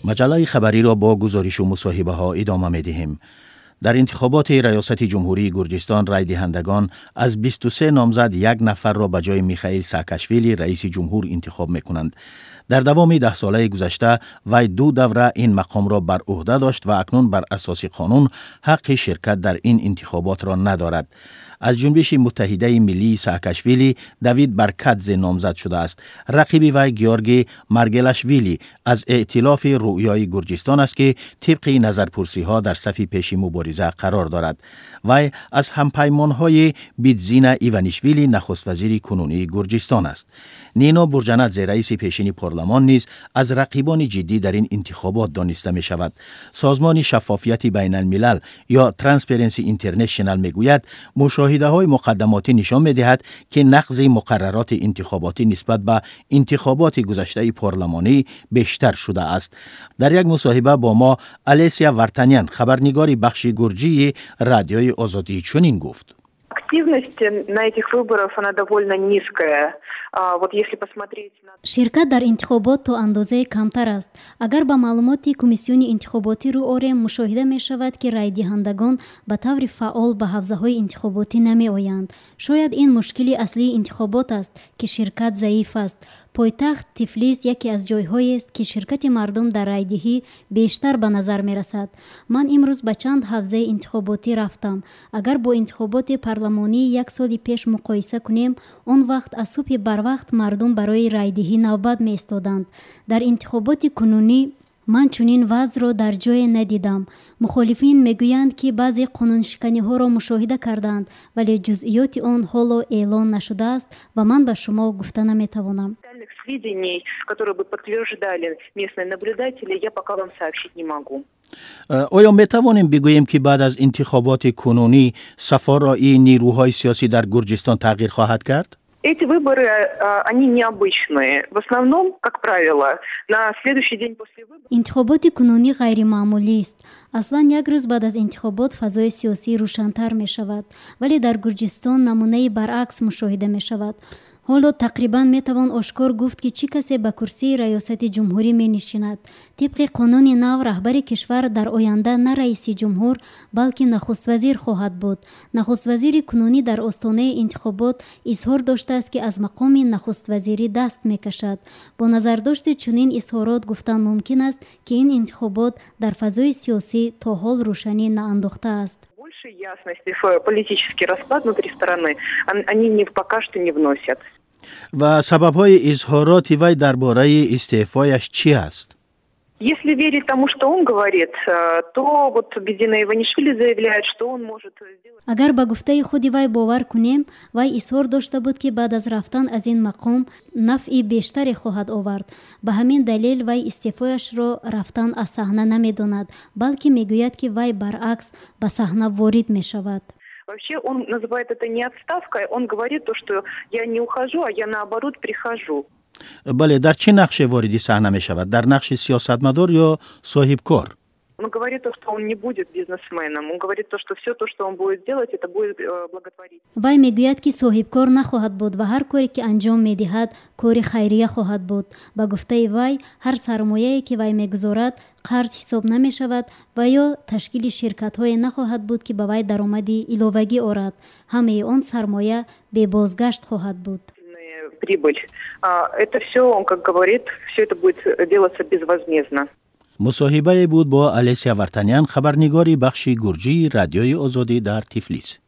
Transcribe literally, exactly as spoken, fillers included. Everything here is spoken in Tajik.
Маҷаллаи хабариро бо гузоришу мусоҳибаҳо идома медиҳем. Дар интихоботи раёсати ҷумҳурии Гурҷистон райдиҳандагон аз бисту се номзад як нафарро ба ҷои Михаил Саакашвили, раиси ҷумҳур, интихоб мекунанд. Дар давоми даҳсолаи гузашта вай ду давра ин мақомро бар ӯҳда дошт ва акнун бар асоси қонун ҳаққи ширкат дар ин интихоботро надорад. Аз Ҷунбиши муттаҳидаи миллии Саакашвили Давид Баркадзе номзад шудааст. Рақиби вай Георгий Маргелашвили аз эътилофи Рӯёи Гурҷистон аст, ки тибқи назарпурсиҳо дар сафи пеши мубориза қарор дорад. Вай аз ҳампаймонҳои Бидзина Иванишвили, нахуствазири кунунии Гурҷистон аст. Нино Бурҷанадзе, раиси пешини парлумон, низ аз рақибони ҷиддӣ дар ин интихобот дониста мешавад. Созмони Шаффофияти байналмилал ё Transparency International мегӯяд, мушоҳидаҳои муқаддамотӣ нишон медиҳад, ки нақзи муқаррароти интихоботӣ нисбат ба интихоботи гузаштаи парлумонӣ бештар шудааст. Дар як мусоҳиба бо мо Алесия Вартанян, хабарнигори бахши гурҷии Радиои Озодӣ, чунин гуфт: Активность на этих выборах, она довольно низкая. Вот если посмотреть на Ширкат дар интихобот то андозае камтар аст. Агар ба маълумоти комиссиони интихоботӣ рӯ орем, мушоҳида мешавад, ки райдиҳандагон ба таври фаъол ба ҳавзаҳои интихоботӣ намеоянд. Шояд ин мушкили аслии интихобот аст, ки ширкат заиф аст. Пойтахт Тифлис яке аз ҷойҳоест, ки ширкати мардум дар райдиҳӣ бештар ба назар мерасад. Ман имрӯз ба чанд ҳавзаи интихоботӣ рафтам. Агар бо интихоботи парлумонии як соли пеш муқоиса кунем, он вақт аз субҳи барвақт мардум барои райдиҳӣ навбат меистоданд. Дар интихоботи кунунӣ ман чунин вазъро дар ҷое надидам. Мухолифин мегӯянд, ки баъзе қонуншиканиҳоро мушоҳида карданд, вале ҷузъиёти он ҳоло эълон нашудааст ва ман ба шумо гуфта наметавонам. Сведений, которые бы подтверждали местные наблюдатели, я пока вам сообщить не могу. Оё метавонем бигӯем, ки баъд аз интихоботи кунунӣ сафорои нирӯҳои сиёсӣ дар Гурҷистон тағйир хоҳад кард? Эти выборы, они необычные. В основном, как правило, на следующий день после выборов. Интихоботи кунунӣ ғайримаъмулист. Аслан як рӯз баъд аз интихобот фазои сиёсӣ рӯшантар мешавад, вале дар Гурҷистон намунаи баръакс мушоҳида мешавад. Ҳоло тақрибан метавон ошкор гуфт, ки чӣ касе ба курсии раёсати ҷумҳурӣ менишинад. Тибқи қонуни нав, раҳбари кишвар дар оянда на раиси ҷумҳур, балки нахуствазир хоҳад буд. Нахуствазири кунунӣ дар остонаи интихобот изҳор доштааст, ки аз мақоми нахуствазирӣ даст мекашад. Бо назардошти чунин изҳорот гуфтан мумкин аст, ки ин интихобот дар фазои сиёсӣ то ҳол рӯшанӣ наандохтааст. Большей ясности в политический расклад внутри страны они не, пока что не вносят. Ва сабабҳои изҳороти вай дар бораи истеъфояш чӣ аст? Если верить тому, что он говорит, э, то вот Бидзина Иванишвили заявляет, что он может сделать. Агар ба гуфтаи худи вай бовар кунем, вай изҳор дошта буд, ки баъд аз рафтан аз ин мақом нафъи бештаре хоҳад овард. Ба ҳамин далел вай истеъфояшро рафтан аз саҳна намедонад, балки мегӯяд, ки вай баръакс ба саҳна ворид мешавад. Вообще он называет это не отставкой, он говорит то, что я не ухожу, а я, наоборот, прихожу. Бале, дар чӣ нақше вориди саҳна мешавад? Дар нақши сиёсатмадор ё соҳибкор? Он говорит то, что он не будет бизнесменом. Он говорит то, что все то, что он будет делать, это будет э, благотворительность. Вай мегӯяд, ки соҳибкор нахоҳад буд ва ҳар коре, ки анҷом медиҳад, кори хайрия хоҳад буд. Ба гуфтаи вай, ҳар сармояе, ки вай мегузорад, қарз ҳисоб намешавад ва ё ташкили ширкатҳое нахоҳад буд, ки ба вай даромади иловагӣ орад. Ҳамаи он сармоя бебозгашт хоҳад буд. Прибыль. Это все, он как говорит, все это будет делаться безвозмездно. Мусоҳибае буд бо Алесия Вартанян, хабарнигори бахши гурҷии Радиои Озодӣ дар Тифлис.